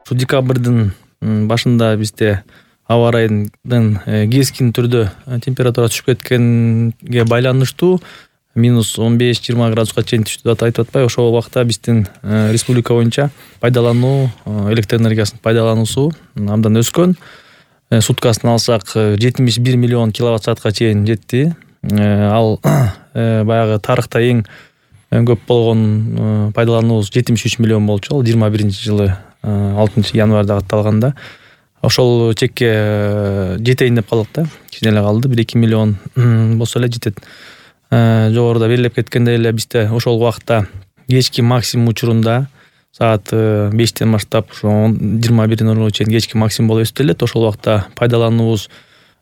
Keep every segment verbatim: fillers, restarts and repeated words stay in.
Ушу декабрдын башында бизде аба ырайынын кескин түрдө температура түшүп кеткенге байланыштуу минус он беш жыйырма градуска чейин түштү деп айтып атпайбы. Ошол убакта биздин республика боюнча пайдалануу электр энергиясынын пайдалануусу абдан өскөн. Суткасын алсак жетимиш бир миллион киловатт саатка чейин жетти. Ал баягы тарыхта эң көп болгон пайдалануубуз жетимиш үч миллион болчу. Ал жыйырма биринчи жылы алтынчы январда катталганда. Ошол чекке жетейин деп калдык да. Кичине эле калды. бир эки миллион болсо эле жетет. Жогоруда белгилеп кеткендей эле бизде ошол убакта кечки максимум учурунда саат бештен баштап ошо жыйырма бир ноль нолго чейин кечки максимум болуп эсептелет. Ошол убакта пайдалануубуз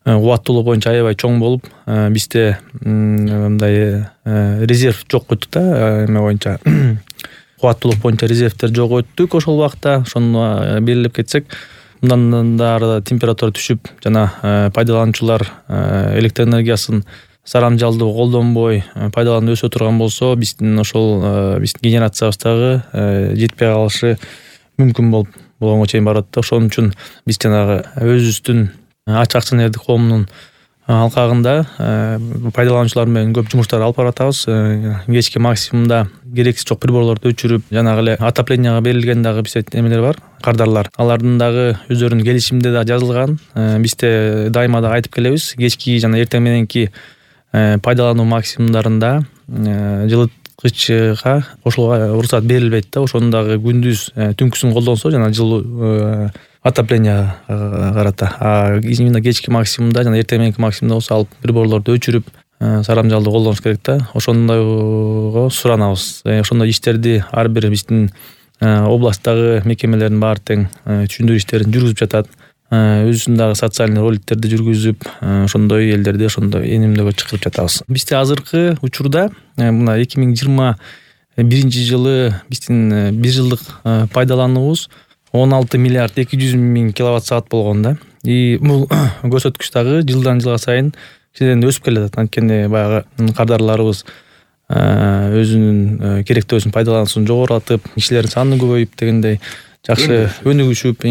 кубаттуулук боюнча аябай чоң болуп, бизде мындай резерв жок өттүк да, эме боюнча кубаттуулук боюнча резервдер жок өттүк ошол убакта. Ошону белгилеп кетсек, мындан да ары температура түшүп жана пайдалануучулар электр энергиясын сарамжалдуу колдонбой пайдаланып өсө турган болсо, биздин ошол биздин генерациябыз дагы жетпей калышы мүмкүн болуп болгонго чейин барат да. Ошон үчүн биз жанагы өзүбүздүн ачык акционердик коомунун алкагында пайдалануучулар менен көп жумуштар алып баратабыз. Кечки максимумда керексиз жок приборлорду өчүрүп, жанагы эле отопленияга берилген дагы бизде эмелер бар, кардарлар. Алардын дагы өздөрүнүн келишимде да жазылган. Бизде дайыма да айтып келебиз, кечки жана эртең мененки пайдалануу максимумдарында жылыткычка кошулууга уруксат берилбейт да. Ошону дагы күндүз түнкүсүн колдонсо жана жылуу отопление карата. А именно кечки максимумда жана эртең мененки максимумда болсо алып приборлорду өчүрүп сарамжалдуу колдонуш керек да. Ошондойго суранабыз. Ошондой иштерди ар бир биздин областтагы мекемелердин баары тең түшүндүрүү иштерин жүргүзүп жатат. Өзүнүн дагы социальный роликтерди жүргүзүп, ошондой элдерди ошондой энимдөгө чакырып жатабыз. Бизде азыркы учурда мына эки миң жыйырма биринчи жылы биздин бир жылдык пайдалануубуз он алты миллиард эки жүз миң киловатт саат болгон да. И бул көрсөткүч дагы жылдан жылга сайын кичинен өсүп келатат. Анткени баягы кардарларыбыз өзүнүн керектөөсүн пайдалануусун жогорулатып, кишилердин саны көбөйүп дегендей жакшы өнүгүшүп,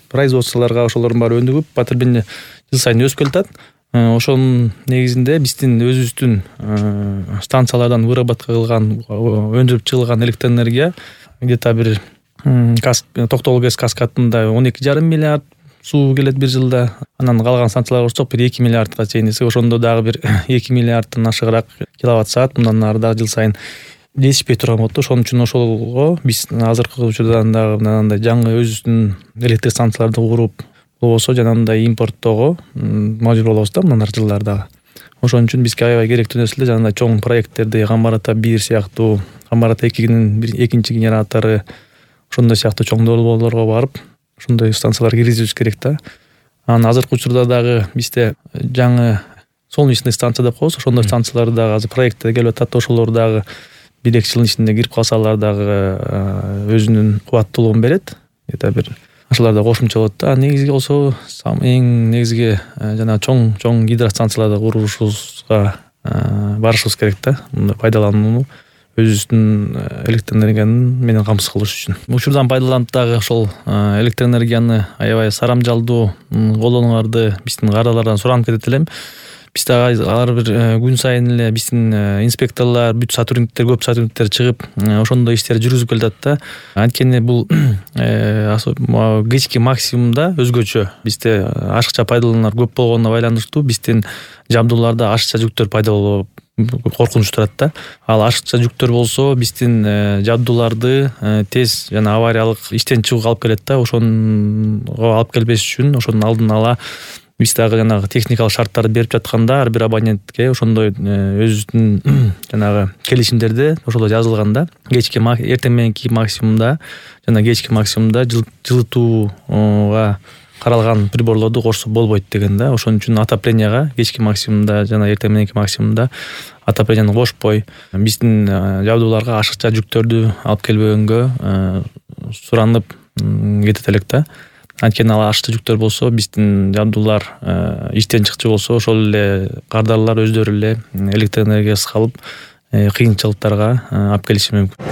производстволорго ошолордун баары өнүгүп, потребление жыл сайын өсүп келатат. Ошонун негизинде биздин өзүбүздүн станциялардан выработка кылган, өндүрүп чыгылган электр энергия где-то бир Токтогул ГЭС каскадында он эки жарым миллиард суу келет бир жылда. Анан калган станцияларга кошсок бир эки миллиардга чейин десек, ошондо дагы бир эки миллиардтан ашыгыраак киловатт саат мындан ары дагы жыл сайын жетишпей турган болот. Ошон үчүн ошолго биз азыркы учурдан дагы мындай жаңы өзүбүздүн электр станцияларды куруп, болбосо жанагындай импорттоого мажбур болобуз да мындан ары жылдары дагы. Ошон үчүн бизге аябай керектүү нерсе эле жанагындай чоң проекттерди, Камбар ата бир сыяктуу, Камбар ата экинин экинчи генератору, ошондой сыяктуу чоң долбоорлорго барып, ошондой станциялар киргизибиз керек да. Анан азыркы учурда дагы бизде жаңы солнечный станция деп коебуз. Ошондой станциялар дагы азыр проектте келип атат. Ошолор дагы бир эки жылдын ичинде кирип калсалар дагы өзүнүн кубаттуулугун берет. Эта бир ошолор да кошумча болот да. Негизги болсо эң негизги жана чоң чоң гидростанцияларды курушубузга барышыбыз керек да. Мындай пайдаланууну өзүбүздүн электр энергияны менен камсыз кылыш үчүн. Учурдан пайдаланып дагы ошол электр энергияны аябай сарамжалдуу колдонууларды биздин кардарлардан суранып кетет элем. Биз дагы ар бир күн сайын эле биздин инспекторлор, бүт сотрудниктер, көп сотрудниктер чыгып, ошондой иштерди жүргүзүп келатат да. Анткени бул кечки максимумда өзгөчө. Бизде ашыкча пайдалануулар көп болгонуна байланыштуу биздин жабдууларда ашыкча жүктөр пайда болуп коркунуч турат да. Ал ашыкча жүктөр болсо биздин жабдууларды тез жана авариялык иштен чыгууга алып келет да. Ошонго алып келбеш үчүн ошонун алдын ала биз дагы жанагы техникалык шарттарды берип жатканда ар бир абонентке ошондой өзүбүздүн жанагы келишимдерде ошолор жазылган да. Кечки эртең мененки максимумда жана кечки максимумда жылытууга каралган приборлорду кошсо болбойт деген да. Ошон үчүн отопленияга кечки максимумда жана эртең мененки максимумда отопленияны кошпой, биздин жабдууларга ашыкча жүктөрдү алып келбегөнгө суранып кетет элек да. Анткени ал ашыкча жүктөр болсо биздин жабдуулар иштен чыкчу болсо ошол эле кардарлар өздөрү эле электр энергиясыз калып кыйынчылыктарга алып келиши мүмкүн.